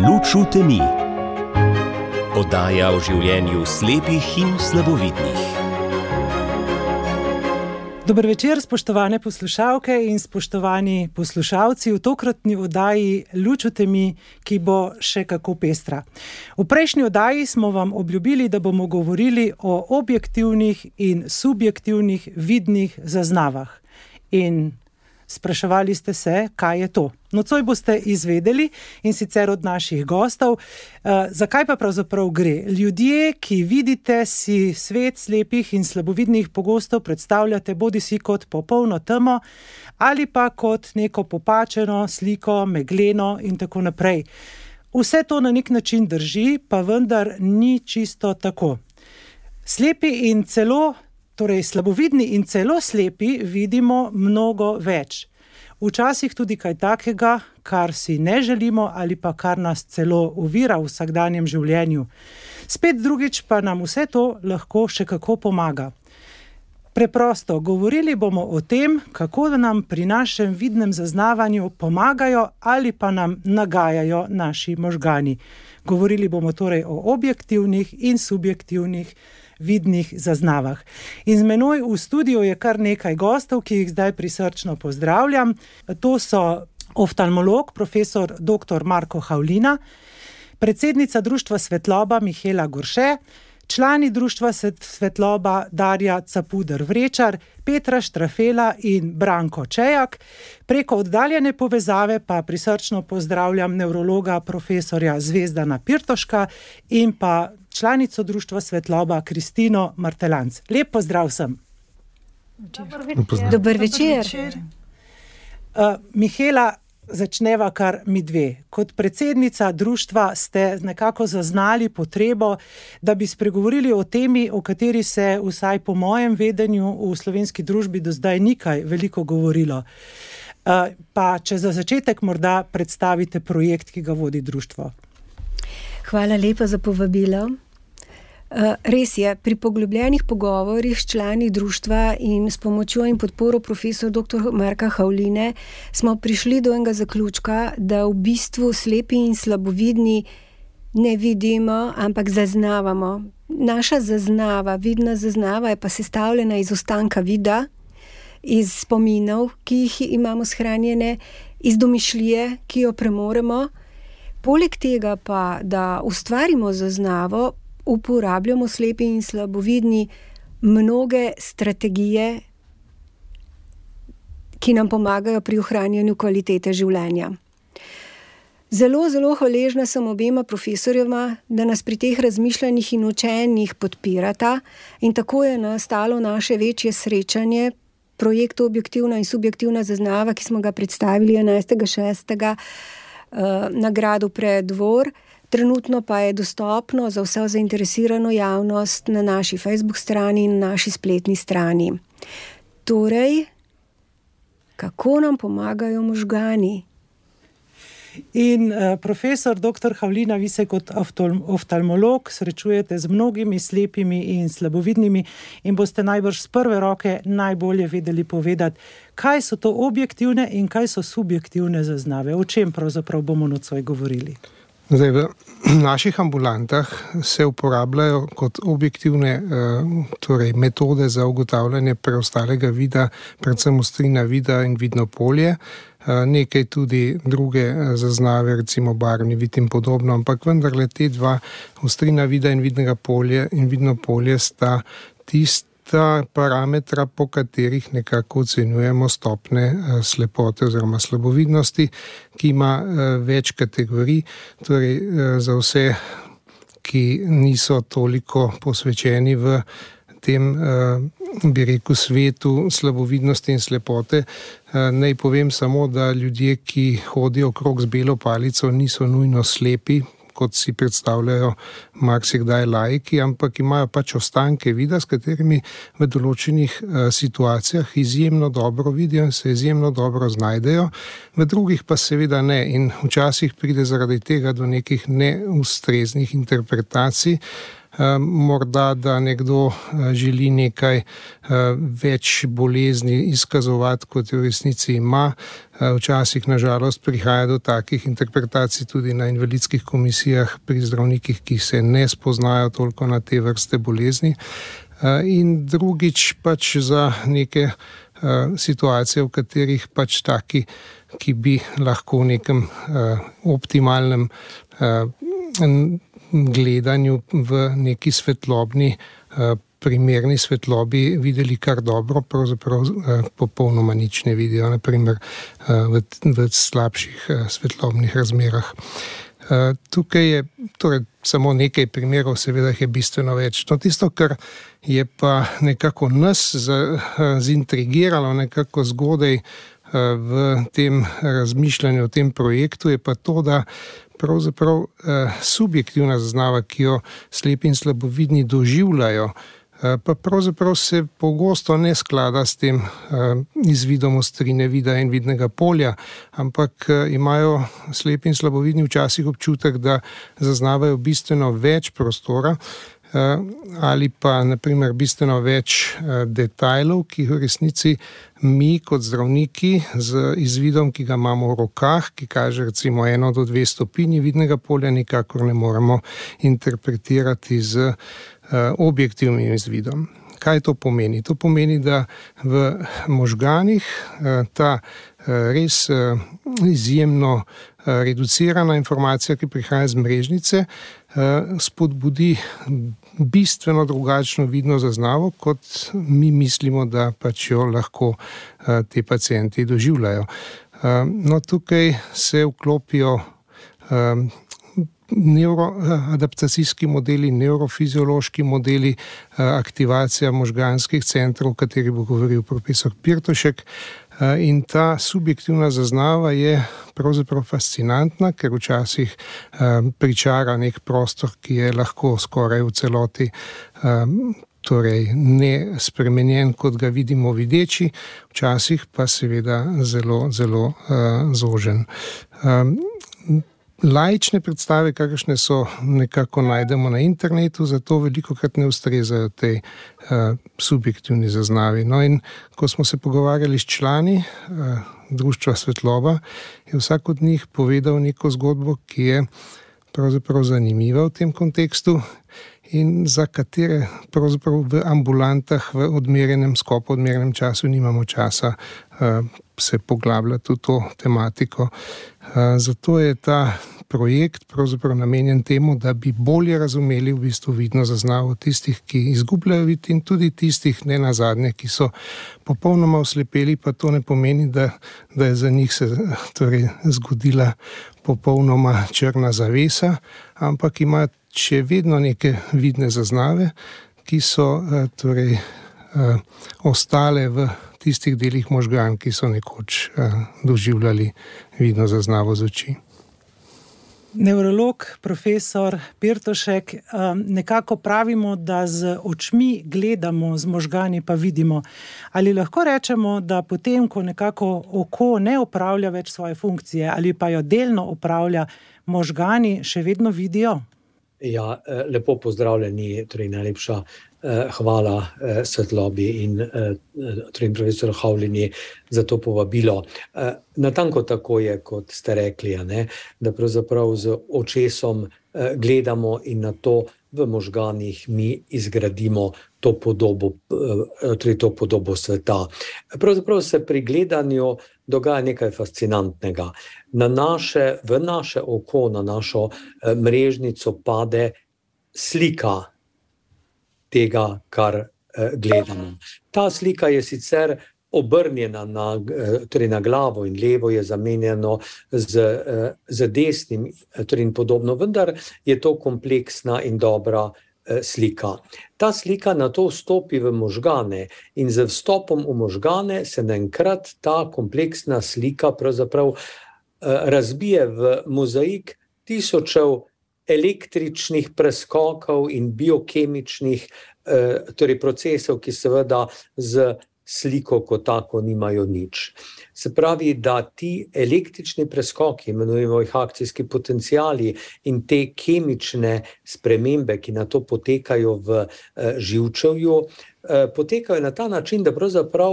Luč v temi. Oddaja o življenju slepih in slabovidnih. Dober večer, spoštovane poslušalke in spoštovani poslušalci v tokratni oddaji Luč v temi, ki bo še kako pestra. V prejšnji oddaji smo vam obljubili, da bomo govorili o objektivnih in subjektivnih vidnih zaznavah. In spraševali ste se, kaj je to. Nocoj boste izvedeli, in sicer od naših gostov, zakaj pa pravzaprav gre. Ljudje, ki vidite, si svet slepih in slabovidnih pogosto predstavljate bodisi kot popolno temo ali pa kot neko popačeno sliko, megleno in tako naprej. Vse to na nek način drži, pa vendar ni čisto tako. Slepi in celo slabovidni in celo slepi vidimo mnogo več. Včasih tudi kaj takega, kar si ne želimo ali pa kar nas celo ovira v vsakdanjem življenju. Spet drugič pa nam vse to lahko še kako pomaga. Preprosto, govorili bomo o tem, kako da nam pri našem vidnem zaznavanju pomagajo ali pa nam nagajajo naši možgani. Govorili bomo torej o objektivnih in subjektivnih vidnih zaznavah. In z menoj v studiu je kar nekaj gostov, ki jih zdaj prisrčno pozdravljam. To so oftalmolog, profesor dr. Marko Havlina, predsednica Društva Svetloba Mihaela Gorše, člani Društva Svetloba Darja Capuder-Vrečar, Petra Štrafela in Branko Čejak. Preko oddaljene povezave pa prisrčno pozdravljam nevrologa profesorja Zvezdana Pirtoška in pa članico Društva Svetloba Kristino Martelanc. Lep pozdrav vsem. Dober večer. Mihaela, začneva kar mi dve. Kot predsednica društva ste nekako zaznali potrebo, da bi spregovorili o temi, o kateri se vsaj po mojem vedenju v slovenski družbi do zdaj ni kaj veliko govorilo. Pa če za začetek morda predstavite projekt, ki ga vodi društvo. Hvala lepa za povabilo. Res je, pri poglobljenih pogovorih s člani društva in s pomočjo in podporo profesor dr. Marka Havline smo prišli do enega zaključka, da v bistvu slepi in slabovidni ne vidimo, ampak zaznavamo. Naša zaznava, vidna zaznava je pa sestavljena iz ostanka vida, iz spominov, ki jih imamo shranjene, iz domišljije, ki jo premoremo. Poleg tega pa, da ustvarimo zaznavo, uporabljamo slepi in slabovidni mnoge strategije, ki nam pomagajo pri ohranjanju kvalitete življenja. Zelo, zelo hvaležna sem obema profesorjema, da nas pri teh razmišljanjih in učenjih podpirata, in tako je nastalo naše večje srečanje, projekt Objektivna in subjektivna zaznava, ki smo ga predstavili 11.6. Na gradu Preddvor. Trenutno pa je dostopno za vso zainteresirano javnost na naši Facebook strani in na naši spletni strani. Torej, kako nam pomagajo možgani? In profesor dr. Havlina, vi se kot oftalmolog srečujete z mnogimi slepimi in slabovidnimi in boste najbrž z prve roke najbolje vedeli povedati, kaj so to objektivne in kaj so subjektivne zaznave. O čem pravzaprav bomo nocoj govorili? Zdaj, v naših ambulantah se uporabljajo kot objektivne metode za ugotavljanje preostalega vida, predvsem ostrina vida in vidno polje, nekaj tudi druge zaznave, recimo barvni vid in podobno, ampak vendarle te dva, ostrina vida in vidno polje sta tista parametra, po katerih nekako ocenjujemo stopne slepote oziroma slabovidnosti, ki ima več kategorij, torej za vse, ki niso toliko posvečeni v tem, bi rekel, svetu slabovidnosti in slepote. Naj povem samo, da ljudje, ki hodijo okrog z belo palico, niso nujno slepi, kot si predstavljajo marsikdaj laiki, ampak imajo pač ostanke vida, s katerimi v določenih situacijah izjemno dobro vidijo in se izjemno dobro znajdejo, v drugih pa seveda ne. In včasih pride zaradi tega do nekih neustreznih interpretacij, morda, da nekdo želi nekaj več bolezni izkazovati, kot v resnici ima. Včasih, nažalost, prihaja do takih interpretacij tudi na invalidskih komisijah pri zdravnikih, ki se ne spoznajo toliko na te vrste bolezni. In drugič pač za neke situacije, v katerih pač taki, ki bi lahko v nekem optimalnem gledanju v neki svetlobni, primerni svetlobi videli kar dobro, pravzaprav popolnoma nič ne vidijo, naprimer v slabših svetlobnih razmerah. Tukaj je torej samo nekaj primerov, seveda je bistveno več. No, tisto, kar je pa nekako nas zintrigiralo nekako zgodaj v tem razmišljanju o tem projektu, je pa to, da pravzaprav subjektivna zaznava, ki jo slepi in slabovidni doživljajo, pa pravzaprav se pogosto ne sklada s tem izvidom ostrine vida in vidnega polja, ampak imajo slepi in slabovidni včasih občutek, da zaznavajo bistveno več prostora ali pa naprimer bistveno več detajlov, ki v resnici mi kot zdravniki z izvidom, ki ga imamo v rokah, ki kaže recimo 1 do 2 stopinji vidnega polja, nikakor ne moremo interpretirati z objektivnim izvidom. Kaj to pomeni? To pomeni, da v možganih ta res izjemno reducirana informacija, ki prihaja iz mrežnice, spodbudi bistveno drugačno vidno zaznavo, kot mi mislimo, da pač jo lahko te pacienti doživljajo. No, tukaj se vklopijo neuroadaptacijski modeli, neurofiziološki modeli, aktivacija možganskih centrov, o kateri bo govoril profesor Pirtošek. In ta subjektivna zaznava je pravzaprav fascinantna, ker včasih pričara nek prostor, ki je lahko skoraj v celoti torej ne spremenjen, kot ga vidimo videči, včasih pa seveda zelo, zelo zožen. Laične predstave, kakršne so, nekako najdemo na internetu, zato velikokrat ne ustrezajo tej subjektivni zaznavi. No, in ko smo se pogovarjali s člani Društva Svetloba, je vsak od njih povedal neko zgodbo, ki je pravzaprav zanimiva v tem kontekstu in za katere pravzaprav v ambulantah v odmerjenem skopu, odmerjenem času nimamo časa se poglabljati v to tematiko. Zato je ta projekt pravzaprav namenjen temu, da bi bolje razumeli v bistvu vidno zaznavo tistih, ki izgubljajo vid, in tudi tistih, ne nazadnje, ki so popolnoma oslepeli, pa to ne pomeni, da je za njih se torej zgodila popolnoma črna zavesa, ampak imajo še vedno neke vidne zaznave, ki so torej ostale v tistih delih možgan, ki so nekoč doživljali vidno zaznavo z oči. Nevrolog, profesor Pirtošek, nekako pravimo, da z očmi gledamo, z možgani pa vidimo. Ali lahko rečemo, da potem, ko nekako oko ne opravlja več svoje funkcije ali pa jo delno opravlja, možgani še vedno vidijo? Ja, lepo pozdravljeni, torej najlepša hvala Svetlobi in profesor Havlini za to povabilo. Natanko tako je, kot ste rekli, da pravzaprav z očesom gledamo in na to v možganih mi izgradimo to podobo sveta. Pravzaprav se pri gledanju dogaja nekaj fascinantnega. V naše oko, na našo mrežnico pade slika tega, kar gledamo. Ta slika je sicer obrnjena na glavo in levo je zamenjeno z desnim in podobno, vendar je to kompleksna in dobra slika. Ta slika nato vstopi v možgane in z vstopom v možgane se naenkrat ta kompleksna slika pravzaprav razbije v mozaik tisočev električnih preskokov in biokemičnih procesov, ki seveda z sliko kot tako nimajo nič. Se pravi, da ti električni preskoki, imenujemo jih akcijski potenciali, in te kemične spremembe, ki na to potekajo v živčevju, potekajo na ta način, da pravzaprav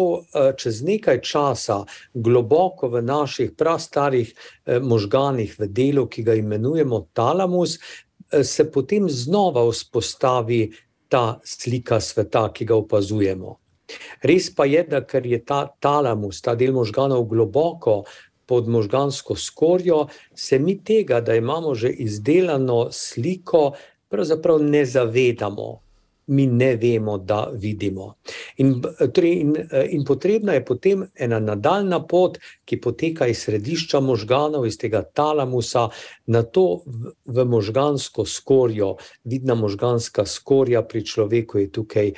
čez nekaj časa globoko v naših prastarih možganih v delu, ki ga imenujemo talamus, se potem znova vzpostavi ta slika sveta, ki ga opazujemo. Res pa je, da ker je ta talamus, ta del možganov globoko pod možgansko skorjo, se mi tega, da imamo že izdelano sliko, pravzaprav ne zavedamo. Mi ne vemo, da vidimo. In potrebna je potem ena nadaljna pot, ki poteka iz središča možganov, iz tega talamusa, na to v možgansko skorjo. Vidna možganska skorja pri človeku je tukaj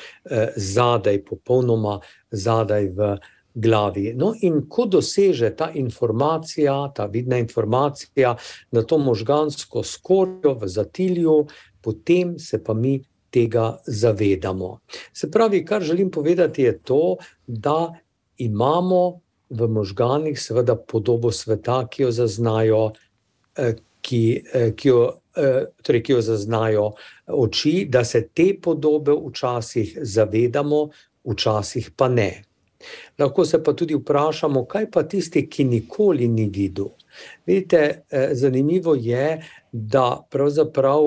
zadaj, popolnoma zadaj v glavi. No, in ko doseže ta informacija, ta vidna informacija na to možgansko skorjo v zatilju, potem se pa mi tega zavedamo. Se pravi, kar želim povedati je to, da imamo v možganih seveda podobo sveta, ki jo zaznajo, ki jo zaznajo oči, da se te podobe včasih zavedamo, včasih pa ne. Lahko se pa tudi vprašamo, kaj pa tisti, ki nikoli ni videl. Vidite, zanimivo je, da pravzaprav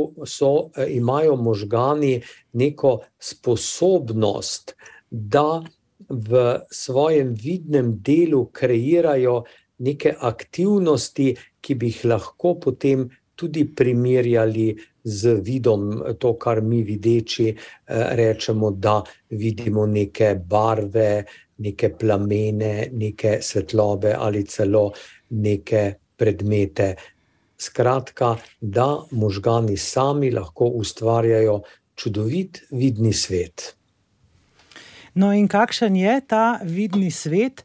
imajo možgani neko sposobnost, da v svojem vidnem delu kreirajo neke aktivnosti, ki bi jih lahko potem tudi primerjali z vidom, to, kar mi videči rečemo, da vidimo neke barve, neke plamene, neke svetlobe ali celo neke predmete. Skratka, da možgani sami lahko ustvarjajo čudovit vidni svet. No, in kakšen je ta vidni svet?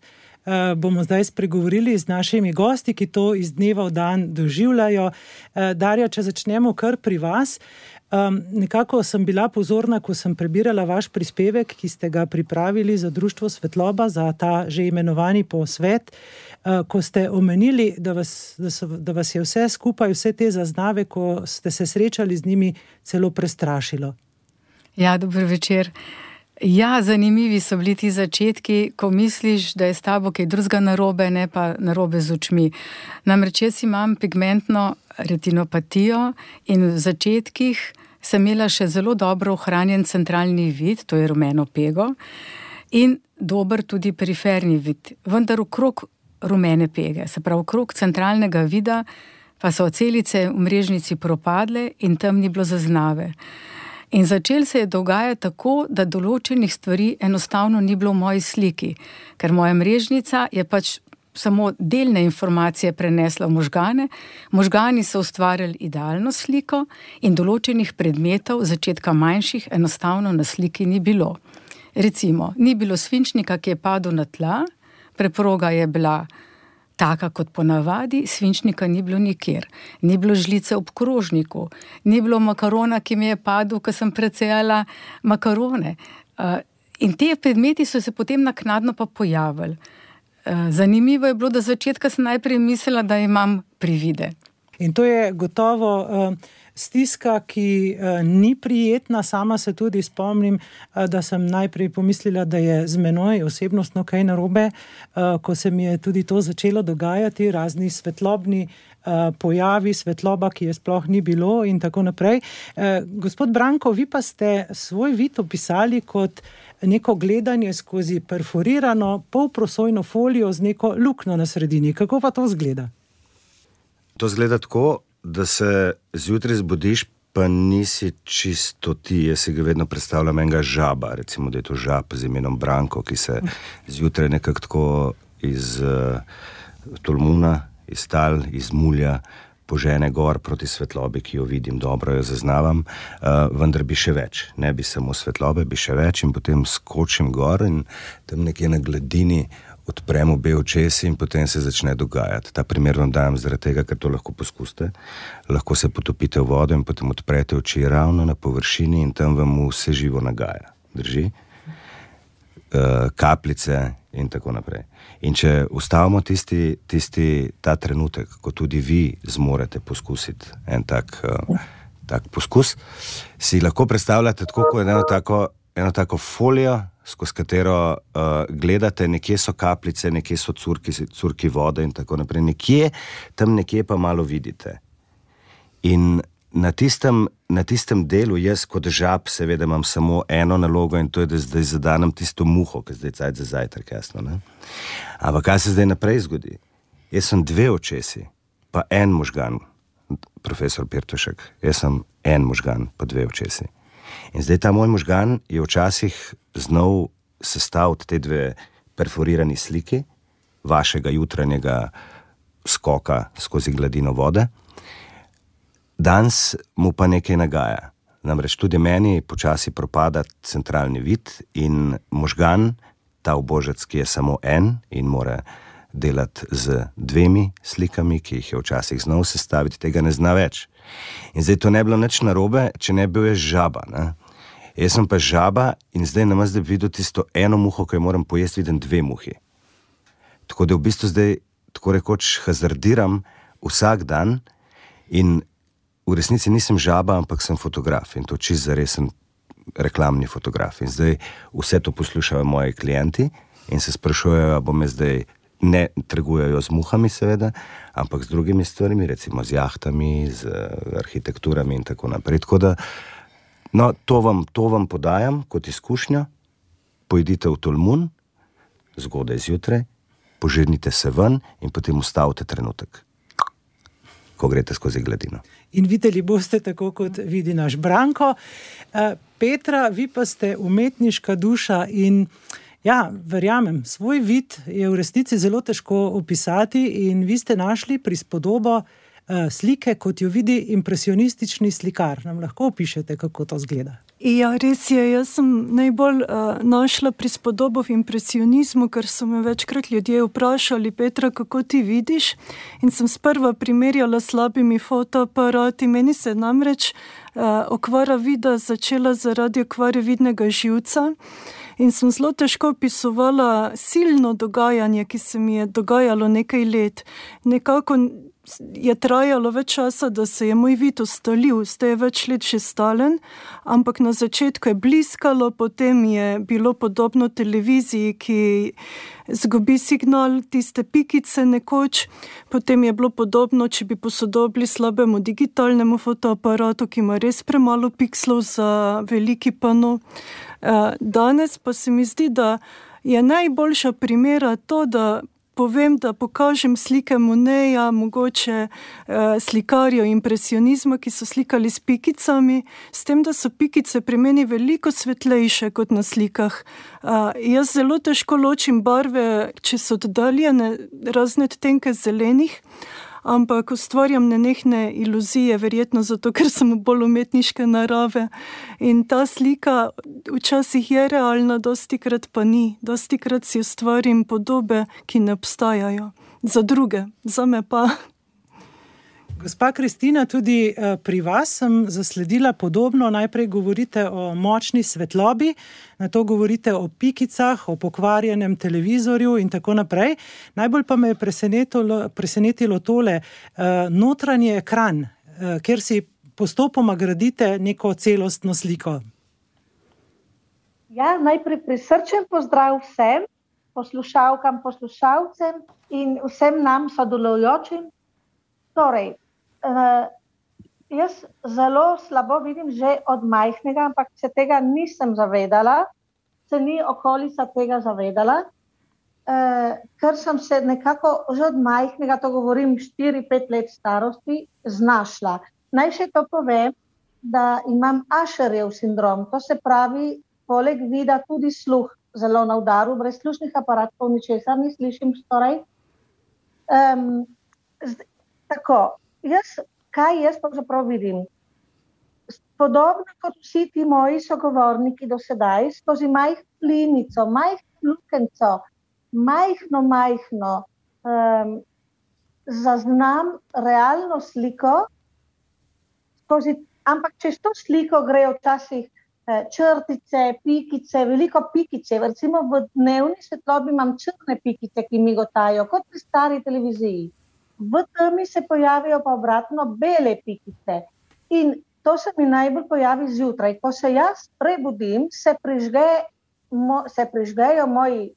Bomo zdaj spregovorili z našimi gosti, ki to iz dneva v dan doživljajo. Darja, če začnemo kar pri vas. Nekako sem bila pozorna, ko sem prebirala vaš prispevek, ki ste ga pripravili za Društvo Svetloba, za ta že imenovani posvet, ko ste omenili, da vas je vse skupaj, vse te zaznave, ko ste se srečali z njimi, celo prestrašilo. Ja, dober večer. Ja, zanimivi so bili ti začetki, ko misliš, da je s tabo kaj drugega narobe, ne pa narobe z očmi. Namreč jaz imam pigmentno retinopatijo in v začetkih sem imela še zelo dobro ohranjen centralni vid, to je rumeno pego, in dober tudi periferni vid, vendar okrog rumene pege, se pravi okrog centralnega vida, pa so celice v mrežnici propadle in tam ni bilo zaznave. In začel se je dogajati tako, da določenih stvari enostavno ni bilo v moji sliki, ker moja mrežnica je pač samo delne informacije prenesla v možgane, možgani so ustvarjali idealno sliko in določenih predmetov, začetka manjših, enostavno na sliki ni bilo. Recimo, ni bilo svinčnika, ki je padel na tla, preproga je bila taka kot ponavadi, svinčnika ni bilo nikjer. Ni bilo žlice ob krožniku, ni bilo makarona, ki mi je padel, ko sem precejala makarone. In te predmeti so se potem naknadno pa pojavili. Zanimivo je bilo, da začetka sem najprej mislila, da imam privide. In to je gotovo stiska, ki ni prijetna. Sama se tudi spomnim, da sem najprej pomislila, da je z menoj osebnostno kaj narobe, ko se mi je tudi to začelo dogajati, razni svetlobni pojavi, svetloba, ki je sploh ni bilo in tako naprej. Gospod Branko, vi pa ste svoj vid opisali kot neko gledanje skozi perforirano polprosojno folijo z neko luknjo na sredini. Kako pa to izgleda? To izgleda tako, da se zjutraj zbudiš, pa nisi čisto ti. Jaz si ga vedno predstavljam enega žaba, recimo, da je to žab z imenom Branko, ki se zjutraj nekako tako iz tolmuna, iz tal, iz mulja požene gor proti svetlobi, ki jo vidim, dobro jo zaznavam, vendar bi še več. Ne bi samo svetlobe, bi še več in potem skočim gor in tam nekje na gladini odprem obe očesi in potem se začne dogajati. Ta primer vam dajem zaradi tega, ker to lahko poskusite. Lahko se potopite v vodo in potem odprete oči ravno na površini in tam vam vse živo nagaja. Drži? kapljice in tako naprej. In če ustavimo ta trenutek, ko tudi vi zmorete poskusiti en tak poskus, si lahko predstavljate tako, kot eno tako folijo, skozi katero gledate, nekje so kapljice, nekje so curki vode in tako naprej. Nekje pa malo vidite. In na tistem delu jaz kot žab seveda imam samo eno nalogo in to je, da zdaj zadanem tisto muho, ki zdaj cajt za zajtrk, jasno, ne? Ampak kaj se zdaj naprej zgodi? Jaz sem 2 očesi, pa en možgan, profesor Pirtošek, jaz sem en možgan, pa 2 očesi. In zdaj ta moj možgan je včasih znal sestaviti te 2 perforirani sliki vašega jutranjega skoka skozi gladino vode. Danes mu pa nekaj nagaja. Namreč tudi meni počasi propada centralni vid in možgan, ta ubožec, ki je samo en in mora delati z 2 slikami, ki jih je včasih znal sestaviti, tega ne zna več. In zdaj to ne bilo nič narobe, če ne bil jaz žaba, ne? Jaz sem pa žaba in zdaj namesto, da bi videl tisto eno muho, ki jo moram pojesti, vidim 2 muhi. Tako da v bistvu zdaj tako rekoč hazardiram vsak dan in v resnici nisem žaba, ampak sem fotograf in to čisto zaresen reklamni fotograf. In zdaj vse to poslušajo moji klienti in se sprašujejo, bom jaz zdaj, ne trgujejo z muhami seveda, ampak z drugimi stvarmi, recimo z jahtami, z arhitekturami in tako naprej. Tako da, no, to vam podajam kot izkušnjo, pojdite v Tolmun, zgodaj zjutraj, požirnite se ven in potem ustavite trenutek, ko greste skozi gladino. In videli boste tako, kot vidi naš Branko. Petra, vi pa ste umetniška duša in ja, verjamem, svoj vid je v resnici zelo težko opisati in vi ste našli prispodobo slike, kot jo vidi impresionistični slikar. Nam lahko opišete, kako to izgleda? Ja, res je, jaz sem najbolj našla prispodobo v impresionizmu, ker so me večkrat ljudje vprašali, Petra, kako ti vidiš? In sem sprva primerjala s slabimi fotoaparati. Meni se namreč okvara vida začela zaradi okvare vidnega živca in sem zelo težko opisovala silno dogajanje, ki se mi je dogajalo nekaj let. Nekako je trajalo več časa, da se je moj vid ustalil, zdaj je več let že stalen, ampak na začetku je bliskalo, potem je bilo podobno televiziji, ki zgubi signal, tiste pikice nekoč, potem je bilo podobno, če bi posodobili slabemu digitalnemu fotoaparatu, ki ima res premalo pikslov za veliki pano. Danes pa se mi zdi, da je najboljša primera to, da povem, da pokažem slike Moneja, mogoče slikarjev impresionizma, ki so slikali s pikicami, s tem, da so pikice pri meni veliko svetlejše kot na slikah. Jaz zelo težko ločim barve, če so oddaljene, razne odtenke zelenih, ampak ustvarjam nenehne iluzije, verjetno zato, ker sem bolj umetniške narave. In ta slika včasih je realna, dostikrat pa ni. Dostikrat si ustvarim podobe, ki ne obstajajo. Za druge, za me pa. Gospa Kristina, tudi pri vas sem zasledila podobno. Najprej govorite o močni svetlobi, nato govorite o pikicah, o pokvarjenem televizorju in tako naprej. Najbolj pa me je presenetilo tole, notranji ekran, kjer si postopoma gradite neko celostno sliko. Ja, najprej prisrčen pozdrav vsem, poslušalkam, poslušalcem in vsem nam sodelujočim. Torej, jaz zelo slabo vidim že od majhnega, ampak se tega nisem zavedala, se ni okolica tega zavedala, ker sem se nekako že od majhnega, to govorim 4-5 let starosti, znašla. Naj še to povem, da imam Asherjev sindrom, to se pravi, poleg vida tudi sluh zelo na udaru, brez slušnih aparatov ničesar ne slišim skoraj. Tako, kaj jaz pravzaprav vidim? Podobno kot vsi ti moji sogovorniki do sedaj, skozi majhno linico, majhno lukenco, majhno, zaznam realno sliko, ampak čez to sliko grejo včasih črtice, pikice, veliko pikice. Recimo v dnevni svetlobi imam črne pikice, ki migotajo, kot pri stari televiziji. V temi se pojavijo pa obratno bele pikice. In to se mi najbolj pojavi zjutraj. Ko se jaz prebudim, se prižgejo moji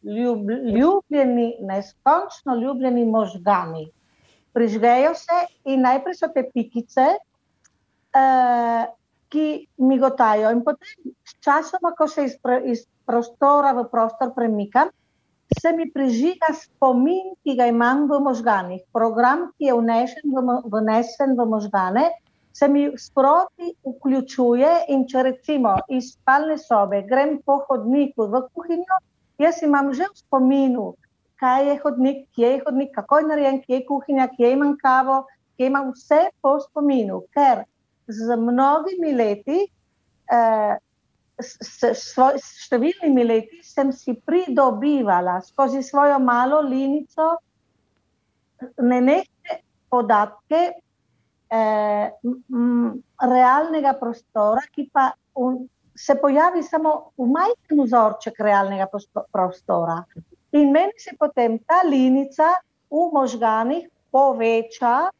ljubljeni, neskončno ljubljeni možgani. Prižgejo se in najprej so te pikice, ki migotajo. In potem sčasoma, ko se iz prostora v prostor premikam, se mi prižiga spomin, ki ga imam v možganih. Program, ki je vnesen v možgane, se mi sproti vključuje in če recimo iz spalne sobe grem po hodniku v kuhinjo, jaz imam že v spominu, kaj je hodnik, kje je hodnik, kako je narejen, kje je kuhinja, kje imam kavo, kje imam vse po spominu, ker z mnogimi leti, s številnimi leti sem si pridobivala skozi svojo malo linico nenehne podatke realnega prostora, ki pa se pojavi samo v majhen vzorček realnega prostora. In meni se potem ta linica v možganih poveča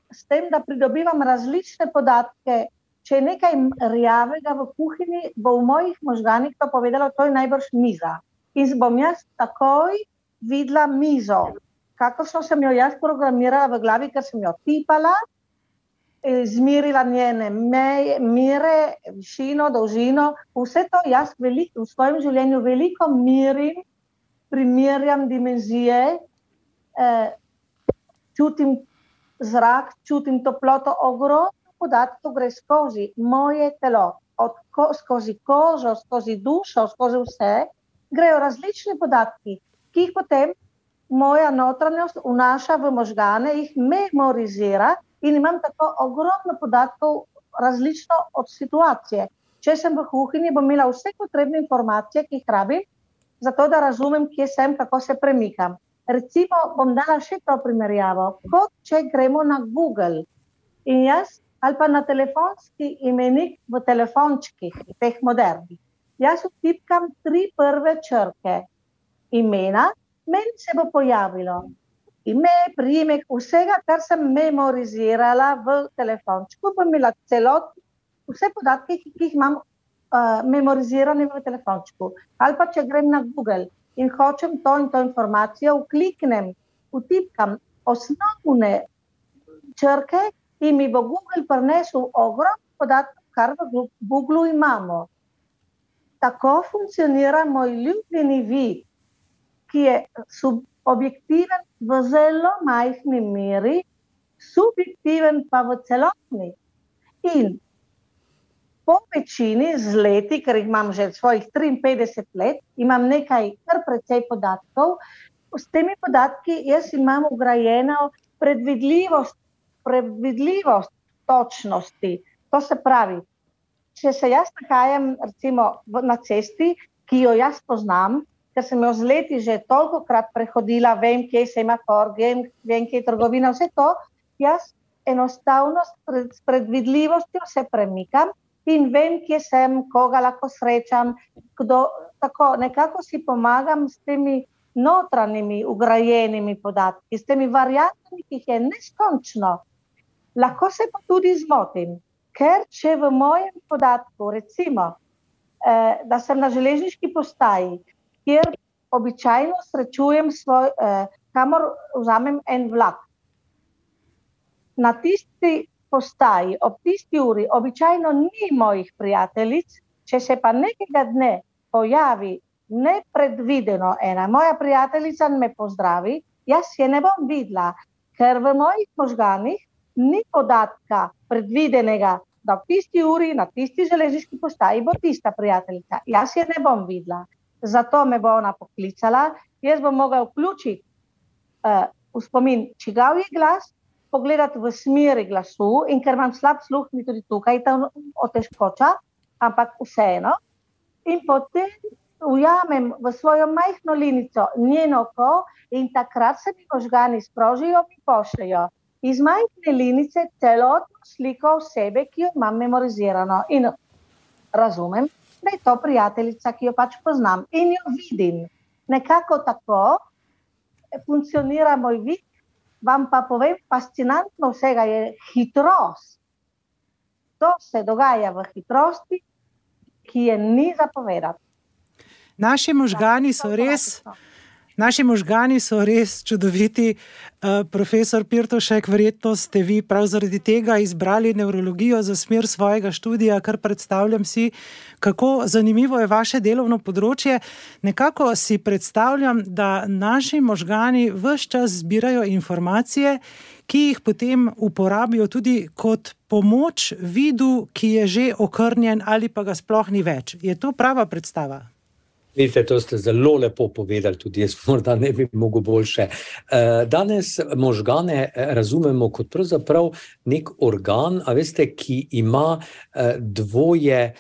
s tem, da pridobivam različne podatke. Če je nekaj rjavega v kuhinji, bo v mojih možganih to povedalo, to je najbrž miza. In bom jaz takoj videla mizo, kakršno sem jo jaz programirala v glavi, ker sem jo tipala, izmirila njene mere, višino, dolžino, vse to jaz v svojem življenju veliko mirim, primerjam dimenzije, čutim zrak, čutim toploto, ogromno podatkov gre skozi moje telo, skozi kožo, skozi dušo, skozi vse, grejo različni podatki, ki jih potem moja notranjost vnaša v možgane, jih memorizira in imam tako ogromno podatkov različno od situacije. Če sem v kuhinji, bom imela vse potrebne informacije, ki jih rabim, zato da razumem, kje sem, kako se premikam. Recimo, bom dala še to primerjavo, kot če gremo na Google in jaz, ali pa na telefonski imenik v telefončkih, teh modernih. Jaz vtipkam 3 prve črke imena, meni se bo pojavilo ime, priimek, vsega, kar sem memorizirala v telefončku, bom imela celotno, vse podatke, ki jih imam memorizirane v telefončku. Ali pa če grem na Google in hočem to in to informacijo, vtipkam osnovne črke in mi bo Google prinesel ogromno podatkov, kar v Google imamo. Tako funkcionira moj ljubljeni vid, ki je objektiven v zelo majhni meri, subjektiven pa v celotni. In po večini z leti, ker jih imam že svojih 53 let, imam nekaj kar precej podatkov. S temi podatki jaz imam vgrajeno predvidljivost točnosti. To se pravi, če se jaz nahajam recimo na cesti, ki jo jaz poznam, ker sem jo z leti že tolikokrat prehodila, vem, kje je semafor, vem, kje je trgovina, vse to, jaz enostavno s predvidljivostjo se premikam in vem, kje sem, koga lahko srečam, tako nekako si pomagam s temi notranjimi ugrajenimi podatki, s temi variantami, ki jih je neskončno. Lahko se pa tudi zmotim, ker če v mojem podatku, recimo, da sem na železniški postaji, kjer običajno srečujem kamor vzamem en vlak. Na tisti postaji, ob tisti uri, običajno ni mojih prijateljic, če se pa nekega dne pojavi nepredvideno ena moja prijateljica in me pozdravi, jaz je ne bom videla, ker v mojih možganih ni podatka predvidenega, da v tisti uri, na tisti železniški postaji bo tista prijateljica. Jaz je ne bom videla. Zato me bo ona poklicala, jaz bom mogla vključiti v spomin, čigav je glas, pogledati v smeri glasu in ker imam slab sluh, mi tudi tukaj ta otežkoča, ampak vseeno. In potem ujamem v svojo majhno linico njeno oko in takrat se mi možgani sprožijo in pošljajo iz majhne linice celotno sliko osebe, ki jo imam memorizirano in razumem. da je to prijateljica, ki jo pač poznam in jo vidim. Nekako tako funkcionira moj vid. Vam pa povem, fascinantno vsega je hitrost. To se dogaja v hitrosti, ki je ni zapovedati. Naši možgani so res čudoviti. Profesor Pirtošek, verjetno ste vi prav zaradi tega izbrali nevrologijo za smer svojega študija, kar predstavljam si, kako zanimivo je vaše delovno področje. Nekako si predstavljam, da naši možgani ves čas zbirajo informacije, ki jih potem uporabijo tudi kot pomoč vidu, ki je že okrnjen ali pa ga sploh ni več. Je to prava predstava? Vidite, to ste zelo lepo povedali, tudi jaz morda ne bi mogel boljše. Danes možgane razumemo kot pravzaprav nek organ, a veste, ki ima dvoje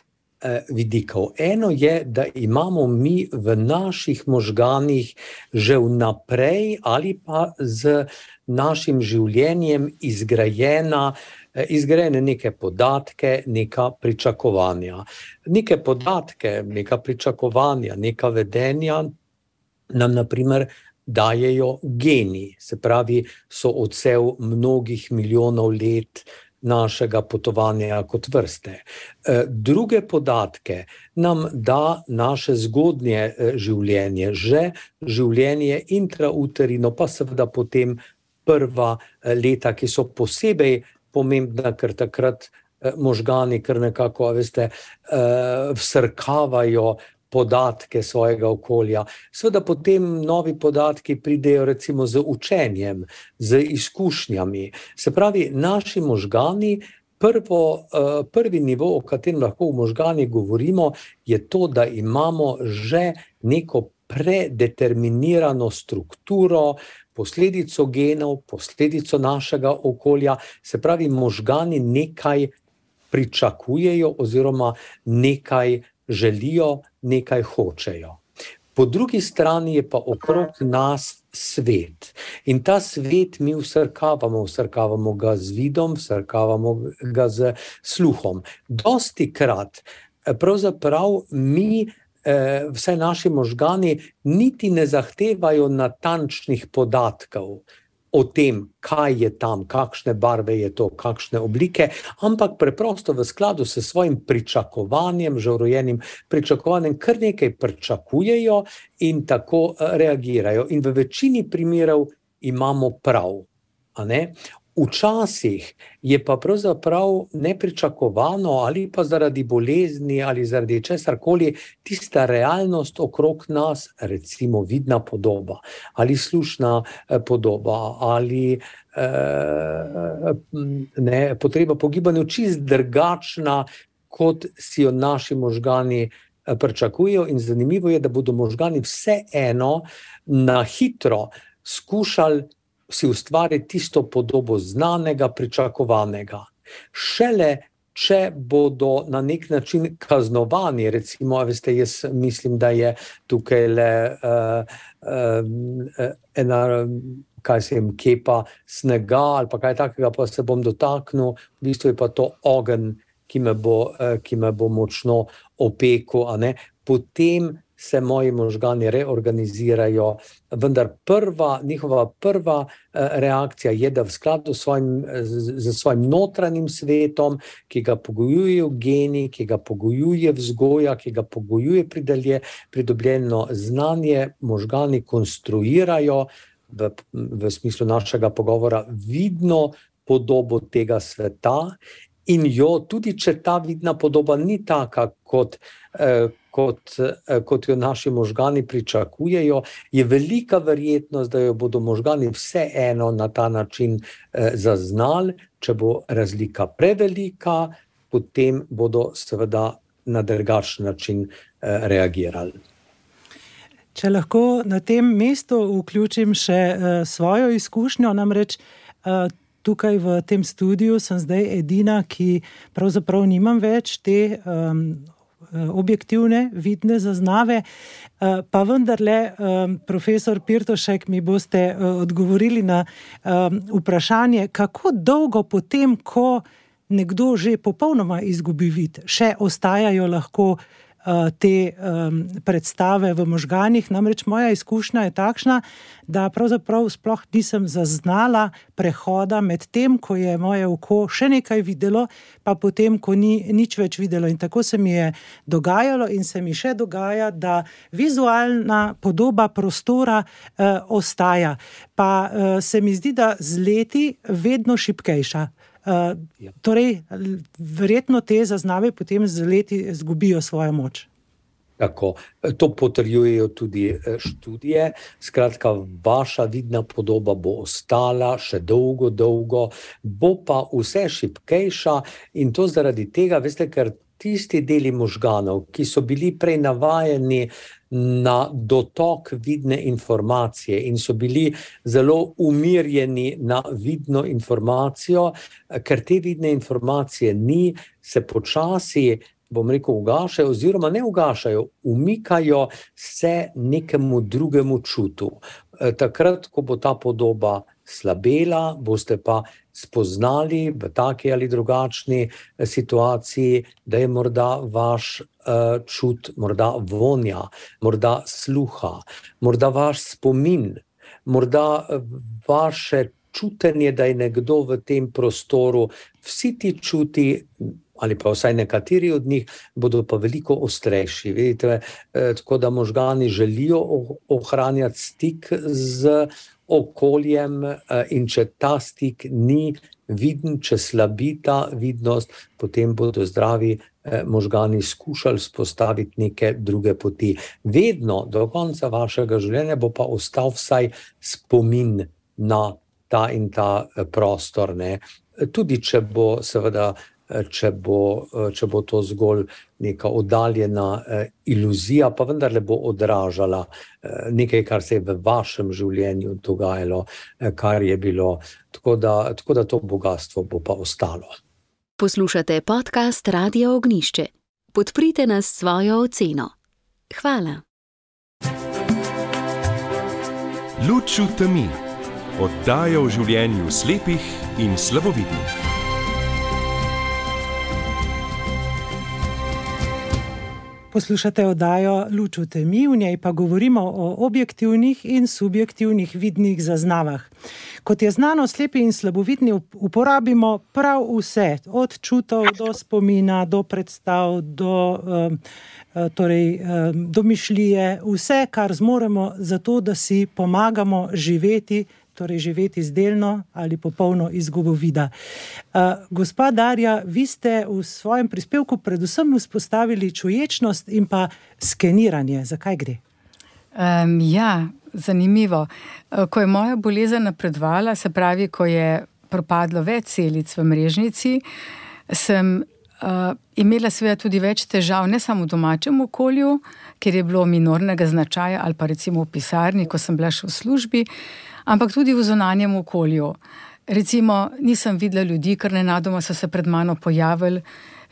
vidikov. Eno je, da imamo mi v naših možganih že vnaprej ali pa z našim življenjem izgrajene neke podatke, neka pričakovanja. Neke podatke, neka pričakovanja, neka vedenja nam na primer dajejo geni, se pravi, so odsev mnogih milijonov let našega potovanja kot vrste. Druge podatke nam da naše zgodnje življenje, že življenje intrauterino, pa seveda potem prva leta, ki so posebej pomembna, ker takrat možgani kar nekako, veste, vsrkavajo podatke svojega okolja. Seveda potem novi podatki pridejo recimo z učenjem, z izkušnjami. Se pravi, naši možgani, prvi nivo, o katerem lahko v možgani govorimo, je to, da imamo že neko predeterminirano strukturo, posledico genov, posledico našega okolja. Se pravi, možgani nekaj pričakujejo oziroma nekaj želijo, nekaj hočejo. Po drugi strani je pa okrog nas svet. In ta svet mi vsrkavamo ga z vidom, vsrkavamo ga z sluhom. Dostikrat pravzaprav mi, vsaj naši možgani, niti ne zahtevajo natančnih podatkov o tem, kaj je tam, kakšne barve je to, kakšne oblike, ampak preprosto v skladu s svojim pričakovanjem, že vrojenim pričakovanjem, kar nekaj pričakujejo in tako reagirajo. In v večini primerov imamo prav, a ne? Včasih je pa pravzaprav nepričakovano ali pa zaradi bolezni ali zaradi česarkoli tista realnost okrog nas, recimo vidna podoba ali slušna podoba ali potreba po gibanju čist drugačna, kot si jo naši možgani pričakujejo. In zanimivo je, da bodo možgani vseeno na hitro skušali si ustvariti tisto podobo znanega, pričakovanega. Šele, če bodo na nek način kaznovani, recimo, veste, jaz mislim, da je tukaj le ena, kepa snega ali pa kaj takega, pa se bom dotaknil, v bistvu je pa to ogenj, ki me bo močno opekel, a ne. Potem se moji možgani reorganizirajo, vendar njihova prva reakcija je, da v skladu z svojim notranjim svetom, ki ga pogojujejo geni, ki ga pogojuje vzgoja, ki ga pogojuje pridobljeno znanje, možgani konstruirajo v smislu našega pogovora vidno podobo tega sveta in jo, tudi če ta vidna podoba ni taka, kot jo naši možgani pričakujejo, je velika verjetnost, da jo bodo možgani vseeno na ta način zaznali. Če bo razlika prevelika, potem bodo seveda na drugačen način reagirali. Če lahko na tem mestu vključim še svojo izkušnjo, namreč tukaj v tem studiu sem zdaj edina, ki pravzaprav nimam več te objektivne vidne zaznave, pa vendarle, profesor Pirtošek, mi boste odgovorili na vprašanje, kako dolgo potem, ko nekdo že popolnoma izgubi vid, še ostajajo lahko te predstave v možganih. Namreč moja izkušnja je takšna, da pravzaprav sploh nisem zaznala prehoda med tem, ko je moje oko še nekaj videlo, pa potem, ko ni nič več videlo. In tako se mi je dogajalo in se mi še dogaja, da vizualna podoba prostora ostaja. Pa se mi zdi, da z leti vedno šibkejša. Torej, verjetno te zaznave potem z leti izgubijo svojo moč. Tako, to potrjujejo tudi študije. Skratka, vaša vidna podoba bo ostala še dolgo, bo pa vse šibkejša in to zaradi tega, veste, ker tisti deli možganov, ki so bili prej navajeni na dotok vidne informacije in so bili zelo umirjeni na vidno informacijo, ker te vidne informacije ni, se počasi, bom rekel, ugašajo oziroma ne ugašajo, umikajo se nekemu drugemu čutu. Takrat, ko bo ta podoba slabela, boste pa spoznali v taki ali drugačni situaciji, da je morda vaš čut, morda vonja, morda sluha, morda vaš spomin, morda vaše čutenje, da je nekdo v tem prostoru. Vsi ti čuti, ali pa vsaj nekateri od njih, bodo pa veliko ostrejši. Vidite, tako da možgani želijo ohranjati stik z okoljem in če ta stik ni viden, če slabi ta vidnost, potem bodo zdravi možgani skušali spostaviti neke druge poti. Vedno do konca vašega življenja bo pa ostal vsaj spomin na ta in ta prostor, ne. Tudi če bo seveda, če bo to zgolj neka oddaljena iluzija, pa vendarle bo odražala nekaj, kar se je v vašem življenju dogajalo, kar je bilo. Tako da to bogastvo bo pa ostalo. Poslušate podcast Radia Ognjišče. Podprite nas s svojo oceno. Hvala. Luč v temi. Oddaja o življenju slepih in slabovidnih. Poslušate oddajo Luč v temi, v njej pa govorimo o objektivnih in subjektivnih vidnih zaznavah. Kot je znano, slepi in slabovidni uporabimo prav vse, od čutov do spomina, do predstav, do mišljije, vse, kar zmoremo za to, da si pomagamo živeti, torej živeti z delno ali popolno izgubo vida. Gospa Darja, vi ste v svojem prispevku predvsem vzpostavili čuječnost in pa skeniranje. Zakaj gre? Ja, zanimivo. Ko je moja bolezen napredovala, se pravi, ko je propadlo več celic v mrežnici, sem imela seveda tudi več težav, ne samo v domačem okolju, ker je bilo minornega značaja, ali pa recimo v pisarni, ko sem bila še v službi, ampak tudi v zunanjem okolju. Recimo, nisem videla ljudi, ker nenadoma so se pred mano pojavili.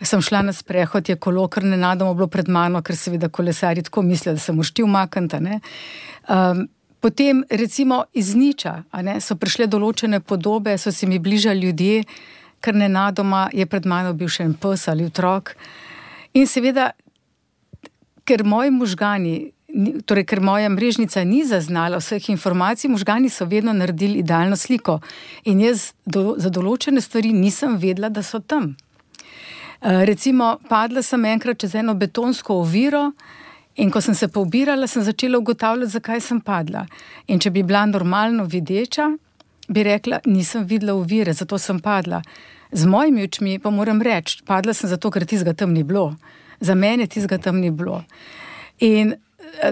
Sem šla na sprehod, je kolo, ker nenadoma bilo pred mano, ker seveda kolesarji tako mislijo, da se mošti umakniti, ne. Potem, recimo, iz niča, so prišle določene podobe, so se mi bližali ljudje, ker nenadoma je pred mano bil še en pes ali otrok. In seveda, ker moji možgani, torej, ker moja mrežnica ni zaznala vseh informacij, možgani so vedno naredili idealno sliko. In jaz za določene stvari nisem vedela, da so tam. Recimo, padla sem enkrat čez eno betonsko oviro in ko sem se poobirala, sem začela ugotavljati, zakaj sem padla. In če bi bila normalno videča, bi rekla, nisem videla ovire, zato sem padla. Z mojimi očmi pa moram reči, padla sem zato, ker tistega tam ni bilo. Za mene tistega tam ni bilo. In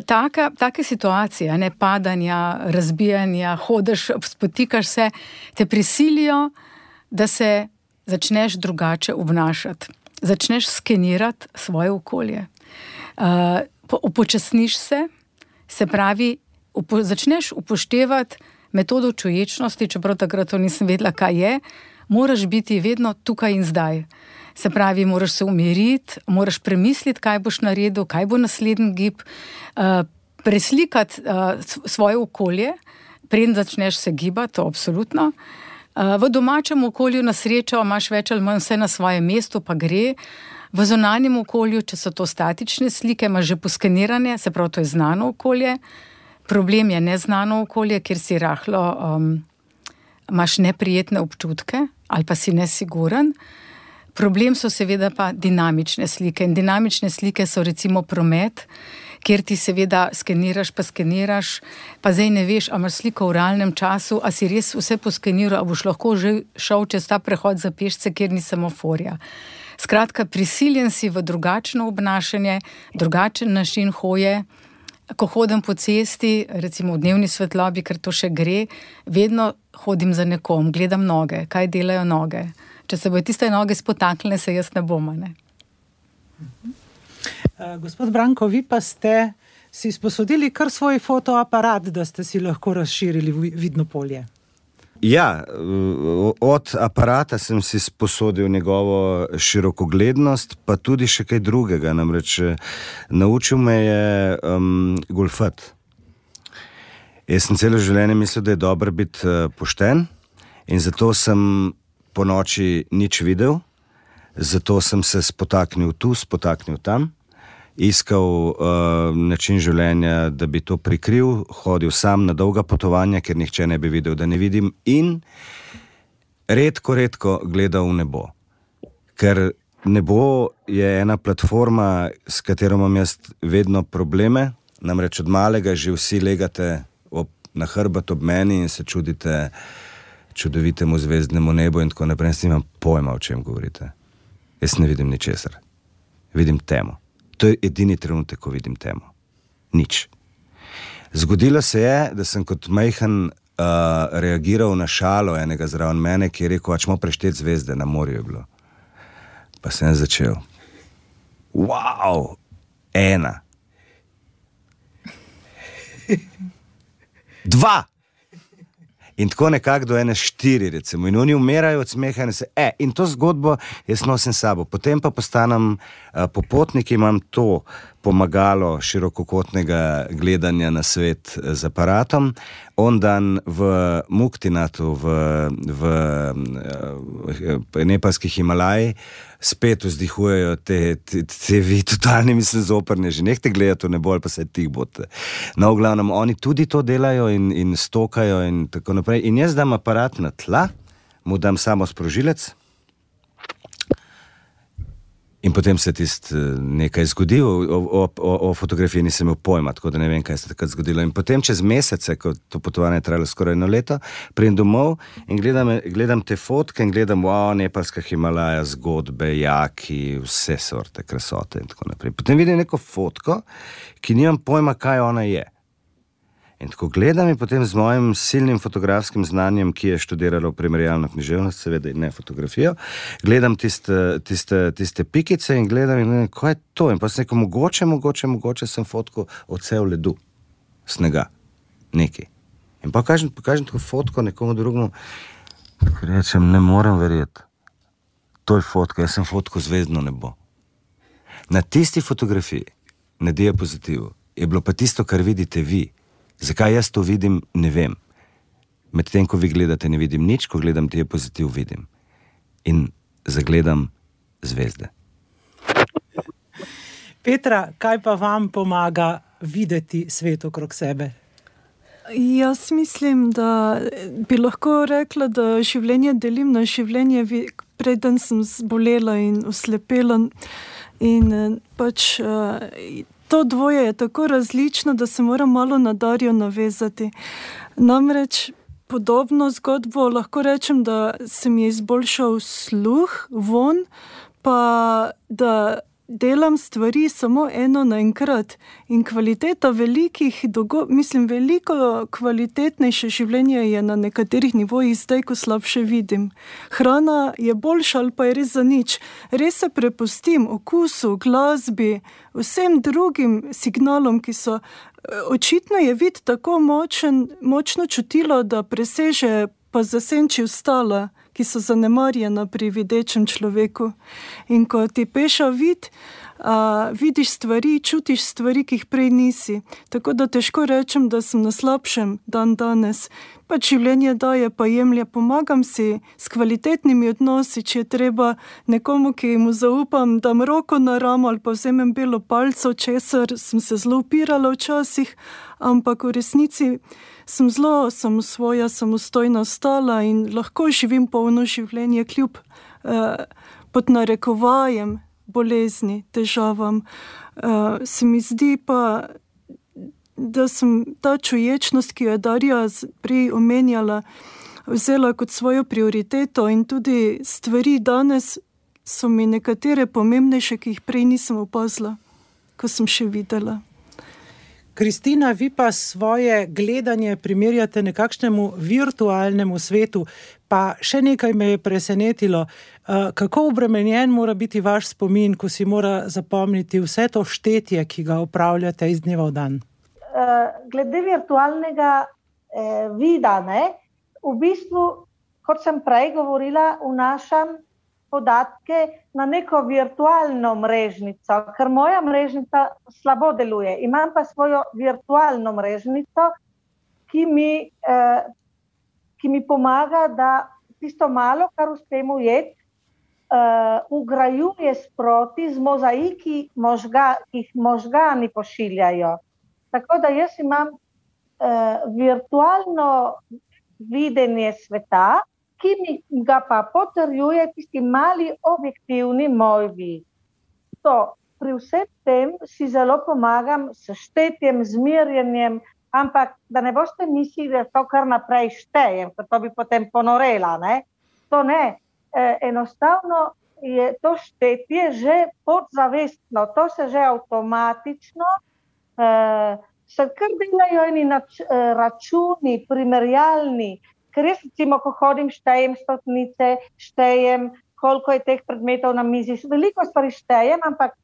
take situacije, padanja, razbijanja, hodiš, spotikaš se, te prisilijo, da se začneš drugače obnašati. Začneš skenirati svoje okolje. Upočasniš se pravi, začneš upoštevati metodo čuječnosti, čeprav takrat to nisem vedela, kaj je, moraš biti vedno tukaj in zdaj. Se pravi, moraš se umiriti, moraš premisliti, kaj boš naredil, kaj bo naslednji gib, preslikati svoje okolje, preden začneš se gibati, to absolutno. V domačem okolju na srečo imaš več ali manj vse na svojem mestu, pa gre. V zunanjem okolju, če so to statične slike, imaš že poskenirane, se pravi, to je znano okolje. Problem je neznano okolje, kjer si rahlo imaš neprijetne občutke ali pa si nesiguren. Problem so seveda pa dinamične slike. In dinamične slike so recimo promet, kjer ti seveda skeniraš, pa zdaj ne veš, a imaš sliko v realnem času, a si res vse poskeniral, a boš lahko že šel čez ta prehod za pešce, kjer ni semaforja. Skratka, prisiljen si v drugačno obnašanje, drugačen način hoje. Ko hodim po cesti, recimo v dnevni svetlobi, ker to še gre, vedno hodim za nekom, gledam noge, kaj delajo noge. Če se bojo tiste noge spotaknile, se jaz ne bom, ne? Gospod Branko, vi pa ste si sposodili kar svoj fotoaparat, da ste si lahko razširili vidno polje. Ja, od aparata sem si sposodil njegovo širokoglednost, pa tudi še kaj drugega. Namreč naučil me je golfat. Jaz sem celo življenje mislil, da je dobro biti pošten, in zato sem po noči nič videl, zato sem se spotaknil tu, spotaknil tam, iskal način življenja, da bi to prikril, hodil sam na dolga potovanja, ker nihče ne bi videl, da ne vidim, in redko gledal v nebo. Ker nebo je ena platforma, s katero imam jaz vedno probleme, namreč od malega že vsi legate na hrbet ob meni in se čudite čudovitemu zvezdnemu nebu in tako naprej. Jaz nimam pojma, o čem govorite. Jaz ne vidim ničesar. Vidim temo. To je edini trenutek, ko vidim temo. Nič. Zgodilo se je, da sem kot majhen reagiral na šalo enega zraven mene, ki je rekel, ačmo prešteti zvezde, na morju je bilo. Pa sem začel. Wow, 1. 2. In tako nekako do 4, recimo. In oni umirajo od smeha in se, in to zgodbo jaz nosim sabo. Potem pa postanem popotnik, imam to pomagalo širokokotnega gledanja na svet z aparatom. On dan v Muktinatu, v nepalskih Himalaji, spet vzdihujejo te vi totalni, mislim, zoprne, že nehte gledati v nebo ali pa se tih bote. No, v glavnem, oni tudi to delajo in stokajo in tako naprej. In jaz dam aparat na tla, mu dam samo sprožilec in potem se nekaj zgodi. O fotografiji nisem imel pojma, tako da ne vem, kaj se takrat zgodilo. In potem čez mesece, ko to potovanje je trajalo skoraj 1 leto, pridem domov in gledam te fotke in gledam, nepalska Himalaja, zgodbe, jaki, vse sorte, krasote in tako naprej. Potem vidim neko fotko, ki nimam pojma, kaj ona je. In tako gledam in potem z mojim silnim fotografskim znanjem, ki je študiralo primerjalno književnost, seveda in ne fotografijo, gledam tiste pikice in gledam, kaj je to? In pa sem rekel, mogoče sem fotko odsev ledu, snega, nekaj. In pa kažem tako fotko nekomu drugemu, rečem, ne morem verjeti. To je fotka, jaz sem fotko zvezdno nebo. Na tisti fotografiji, na diapozitivu, je bilo pa tisto, kar vidite vi. Zakaj jaz to vidim, ne vem. Medtem, ko vi gledate, ne vidim nič, ko gledam diapozitiv, vidim. In zagledam zvezde. Petra, kaj pa vam pomaga videti svet okrog sebe? Jaz mislim, da bi lahko rekla, da življenje delim na življenje, preden sem zbolela in oslepela. In pač to dvoje je tako različno, da se moram malo na Darjo navezati. Namreč podobno zgodbo lahko rečem, da se mi je izboljšal sluh, von, pa da delam stvari samo eno naenkrat. In kvaliteta veliko kvalitetnejše življenje je na nekaterih nivojih zdaj, ko slabše vidim. Hrana je boljša ali pa je res za nič. Res se prepustim okusu, glasbi, vsem drugim signalom, ki so. Očitno je vid tako močno čutilo, da preseže pa zasenči ostala, ki so zanemarjena pri videčem človeku. In ko ti peša vid, vidiš stvari, čutiš stvari, ki jih prej nisi. Tako da težko rečem, da sem na slabšem dan danes. Pač življenje daje, pa jemlje, pomagam si s kvalitetnimi odnosi, če je treba nekomu, ki mu zaupam, dam roko na ramo ali pa vzemem belo palco, česar sem se zelo upirala včasih, ampak v resnici sem zelo samosvoja, samostojna ostala in lahko živim polno življenje kljub pod narekovajem bolezni, težavam. Se mi zdi pa, da sem ta čuječnost, ki jo je Darja prej omenjala, vzela kot svojo prioriteto in tudi stvari danes so mi nekatere pomembnejše, ki jih prej nisem opazila, ko sem še videla. Kristina, vi pa svoje gledanje primerjate nekakšnemu virtualnemu svetu, pa še nekaj me je presenetilo. Kako obremenjen mora biti vaš spomin, ko si mora zapomniti vse to štetje, ki ga opravljate iz dneva v dan? Glede virtualnega vida, v bistvu, kot sem prej govorila, vnašam podatke na neko virtualno mrežnico, ker moja mrežnica slabo deluje. Imam pa svojo virtualno mrežnico, ki mi pomaga, da tisto malo, kar uspem ujeti, ugrajuje sproti z mozaiki, ki jih možgani pošiljajo. Tako da jaz imam virtualno videnje sveta, ki mi ga pa potrjuje tisti mali objektivni moj vid. Pri vsem tem si zelo pomagam s štetjem, z merjenjem, ampak da ne boste mislili, da to kar naprej štejem, ker to bi potem ponorela. To ne. Enostavno je to štetje že podzavestno, to se že avtomatično se kar delajo eni računi, primerjalni, ker jaz recimo, ko hodim, štejem stotnice, štejem, koliko je teh predmetov na mizi, veliko stvari štejem, ampak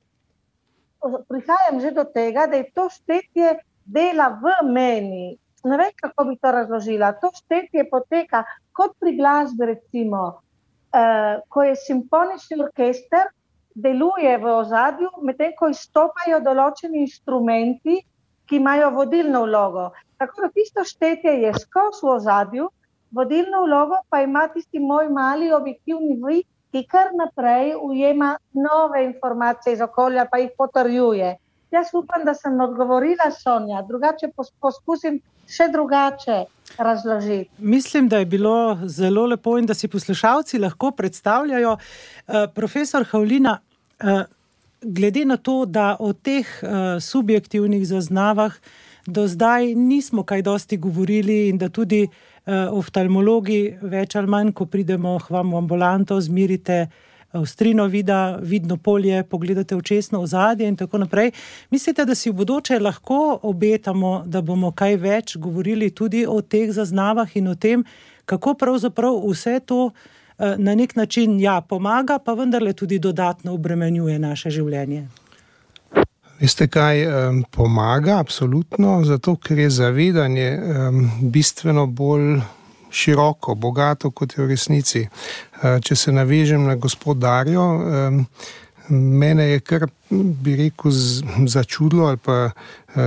prihajam že do tega, da je to štetje dela v meni. Ne vem, kako bi to razložila. To štetje poteka kot pri glasbi, recimo, ko je simfonični orkester, deluje v ozadju, medtem ko izstopajo določeni instrumenti, ki imajo vodilno vlogo. Tako da tisto štetje je skozi v ozadju, vodilno vlogo pa ima tisti moj mali objektivni vid, ki kar naprej ujema nove informacije iz okolja, pa jih potrjuje. Jaz upam, da sem odgovorila, Sonja, drugače poskusim še drugače razložiti. Mislim, da je bilo zelo lepo in da si poslušalci lahko predstavljajo. Profesor Havlina, glede na to, da o teh subjektivnih zaznavah do zdaj nismo kaj dosti govorili in da tudi oftalmologi več ali manj, ko pridemo k vam v ambulanto, zmirite ostrino vida, vidno polje, pogledate očesno ozadje in tako naprej. Mislite, da si v bodoče lahko obetamo, da bomo kaj več govorili tudi o teh zaznavah in o tem, kako pravzaprav vse to na nek način pomaga, pa vendarle tudi dodatno obremenjuje naše življenje? Veste kaj, pomaga absolutno, zato ker je zavedanje bistveno bolj široko, bogato, kot je v resnici. Če se navežem na gospod Darjo, mene je kar, bi rekel, začudilo ali pa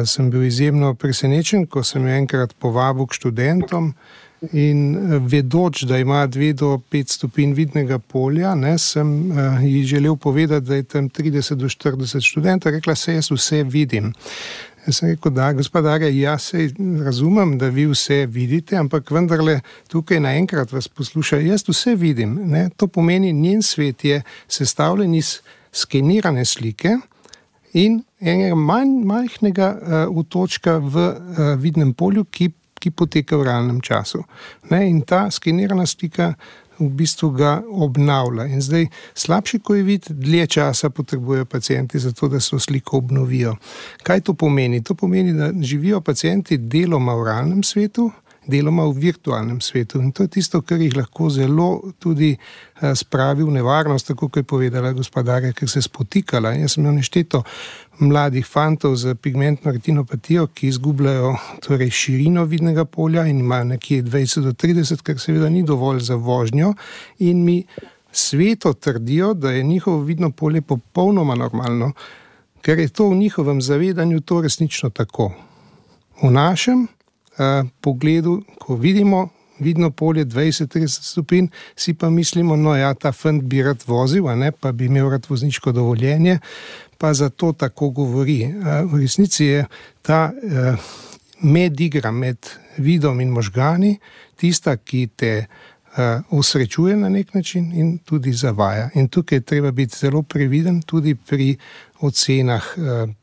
sem bil izjemno presenečen, ko sem enkrat povabil k študentom in vedoč, da ima 2 do 5 stopinj vidnega polja, sem ji želel povedati, da je tam 30 do 40 študentov, rekla se, jaz vse vidim. Jaz sem rekel, da, gospod Darja, jaz se razumem, da vi vse vidite, ampak vendarle tukaj naenkrat vas posluša, jaz vse vidim. To pomeni, njen svet je sestavljen iz skenirane slike in enega majhnega otočka v vidnem polju, ki poteka v realnem času. In ta skenirana slika v bistvu ga obnavlja. In zdaj slabši, ko je vid, dlje časa potrebujejo pacienti za to, da so sliko obnovijo. Kaj to pomeni? To pomeni, da živijo pacienti deloma v realnem svetu, deloma v virtualnem svetu. In to je tisto, kar jih lahko zelo tudi spravi v nevarnost, tako kot je povedala gospa Darja, ker se spotikala. Jaz sem imel nešteto mladih fantov z pigmentno retinopatijo, ki izgubljajo torej širino vidnega polja in imajo nekje 20 do 30, kar seveda ni dovolj za vožnjo, in mi sveto trdijo, da je njihovo vidno polje popolnoma normalno, ker je to v njihovem zavedanju to resnično tako. V našem pogledu, ko vidimo vidno polje 20-30 stopinj, si pa mislimo, no ja, ta fant bi rad vozil, pa bi imel rad vozniško dovoljenje, pa zato tako govori. V resnici je ta medigra med vidom in možgani tista, ki te osrečuje na nek način in tudi zavaja. In tukaj je treba biti zelo previden tudi pri ocenah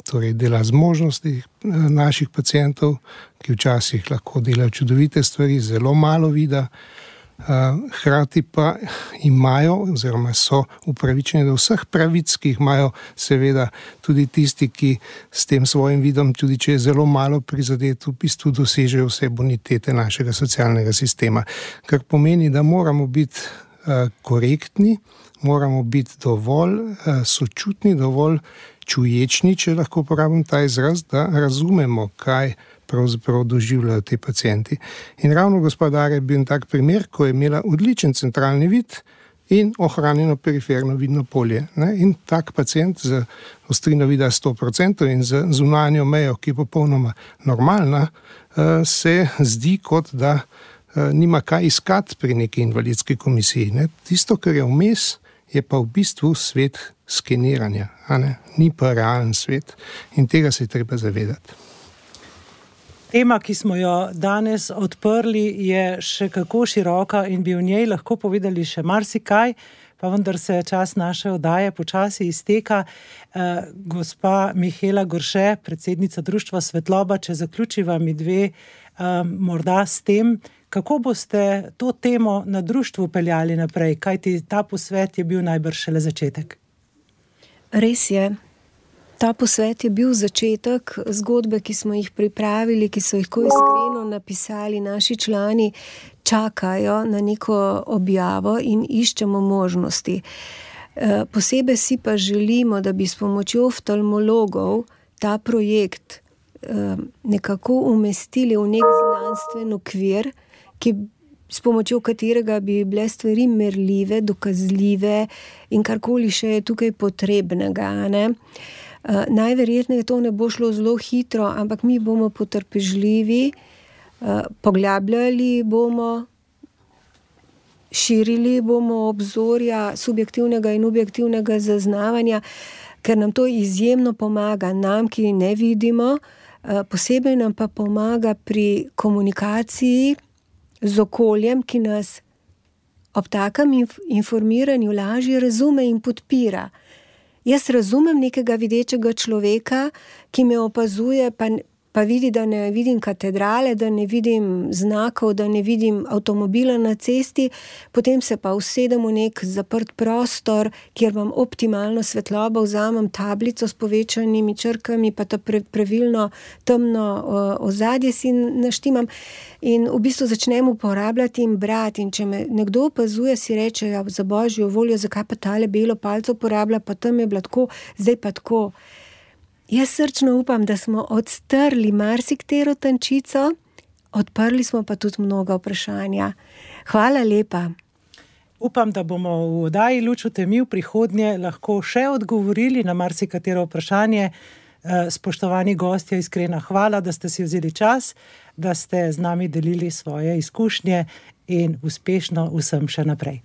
torej dela zmožnosti naših pacientov, ki včasih lahko delajo čudovite stvari, zelo malo vida, hkrati pa imajo oziroma so upravičeni do vseh pravic, ki jih imajo seveda tudi tisti, ki s tem svojim vidom, tudi če je zelo malo prizadet, v bistvu dosežejo vse bonitete našega socialnega sistema. Kar pomeni, da moramo biti korektni, moramo biti dovolj sočutni, dovolj čuječni, če lahko uporabim ta izraz, da razumemo, kaj pravzaprav doživljajo te pacienti. In ravno gospa Darja je bil tak primer, ko je imela odličen centralni vid in ohranjeno periferno vidno polje. In tak pacient z ostrino vida 100% in z zunanjo mejo, ki je popolnoma normalna, se zdi, kot da nima kaj iskati pri neki invalidski komisiji. Tisto, kar je vmes, je pa v bistvu svet skeniranja, ni pa realen svet, in tega se je treba zavedati. Tema, ki smo jo danes odprli, je še kako široka in bi v njej lahko povedali še marsikaj, pa vendar se čas naše oddaje počasi izteka. Gospa Mihaela Gorše, predsednica društva Svetloba, če zaključiva mi dve morda s tem, kako boste to temo na društvu peljali naprej, kajti ta posvet je bil najbrž šele začetek. Res je. Ta posvet je bil začetek zgodbe, ki smo jih pripravili, ki so jih ko iskreno napisali naši člani, čakajo na neko objavo in iščemo možnosti. Posebej si pa želimo, da bi s pomočjo oftalmologov ta projekt nekako umestili v nek znanstven okvir, s pomočjo katerega bi bile stvari merljive, dokazljive in karkoli še je tukaj potrebnega, Najverjetneje to ne bo šlo zelo hitro, ampak mi bomo potrpežljivi, poglabljali bomo, širili bomo obzorja subjektivnega in objektivnega zaznavanja, ker nam to izjemno pomaga, nam, ki ne vidimo, posebej nam pa pomaga pri komunikaciji z okoljem, ki nas ob takem informiranju lažje razume in podpira. Jaz razumem nekega videčega človeka, ki me opazuje, pa vidi, da ne vidim katedrale, da ne vidim znakov, da ne vidim avtomobila na cesti, potem se pa usedem v nek zaprt prostor, kjer imam optimalno svetlobo, vzamem tablico s povečanimi črkami, pa ta pravilno temno ozadje si naštimam in v bistvu začnem uporabljati in brati. In če me nekdo opazuje, si reče, ja, za božjo voljo, zakaj pa tale belo palco uporablja, pa tam je bilo tako, zdaj pa tako. Jaz srčno upam, da smo odstrli marsiktero tančico, odprli smo pa tudi mnoga vprašanja. Hvala lepa. Upam, da bomo v oddaji Luč v temi v prihodnje lahko še odgovorili na marsikatero vprašanje. Spoštovani gostje, iskrena hvala, da ste si vzeli čas, da ste z nami delili svoje izkušnje in uspešno vsem še naprej.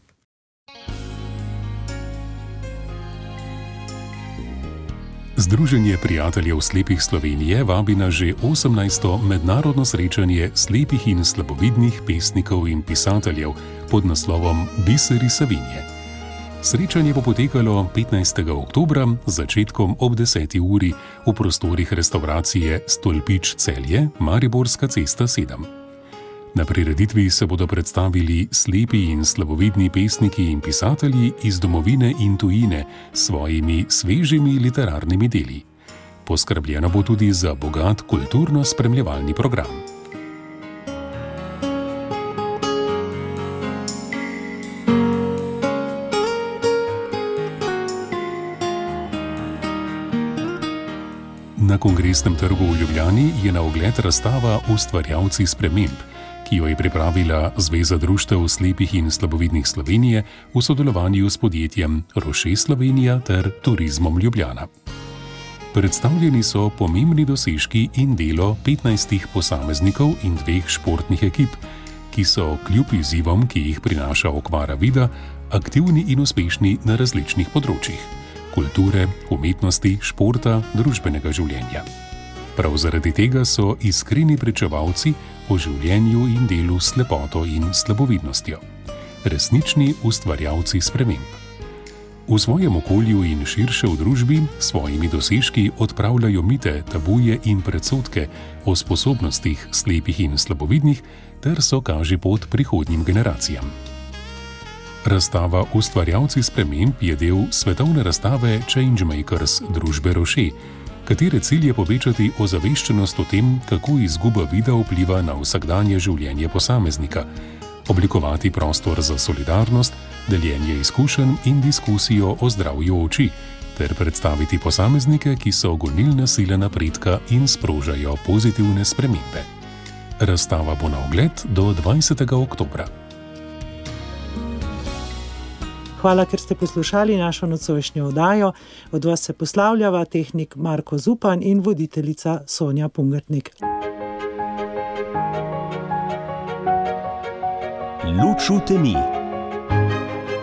Združenje prijateljev slepih Slovenije vabi na že 18. mednarodno srečanje slepih in slabovidnih pesnikov in pisateljev pod naslovom Biseri Savinje. Srečanje bo potekalo 15. oktobra z začetkom ob 10. uri v prostorih restauracije Stolpič Celje, Mariborska cesta 7. Na prireditvi se bodo predstavili slepi in slabovidni pesniki in pisatelji iz domovine in tujine s svojimi svežimi literarnimi deli. Poskrbljeno bo tudi za bogat kulturno-spremljevalni program. Na Kongresnem trgu v Ljubljani je na ogled razstava Ustvarjalci sprememb, ki jo je pripravila Zveza društev slepih in slabovidnih Slovenije v sodelovanju s podjetjem Roche Slovenija ter Turizmom Ljubljana. Predstavljeni so pomembni dosežki in delo 15 posameznikov in 2 športnih ekip, ki so kljub izzivom, ki jih prinaša okvara vida, aktivni in uspešni na različnih področjih: kulture, umetnosti, športa, družbenega življenja. Prav zaradi tega so iskreni pričevalci o življenju in delu s slepoto in slabovidnostjo. Resnični ustvarjalci sprememb. V svojem okolju in širše v družbi s svojimi dosežki odpravljajo mite, tabuje in predsodke o sposobnostih slepih in slabovidnih ter so kaže pot prihodnjim generacijam. Razstava Ustvarjalci sprememb je del svetovne razstave Changemakers družbe Roche, katere cilj je povečati ozaveščenost o tem, kako izguba vida vpliva na vsakdanje življenje posameznika, oblikovati prostor za solidarnost, deljenje izkušenj in diskusijo o zdravju oči, ter predstaviti posameznike, ki so gonilne sile napredka in sprožajo pozitivne spremembe. Razstava bo na ogled do 20. oktobra. Hvala, ker ste poslušali našo nocojšnjo oddajo. Od vas se poslavljava tehnik Marko Zupan in voditeljica Sonja Pungartnik. Luč v temi.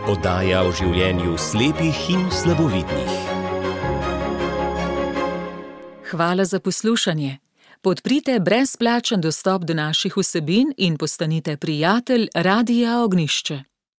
Oddaja o življenju slepih in slabovidnih. Hvala za poslušanje. Podprite brezplačen dostop do naših vsebin in postanite prijatelj Radia Ognjišče.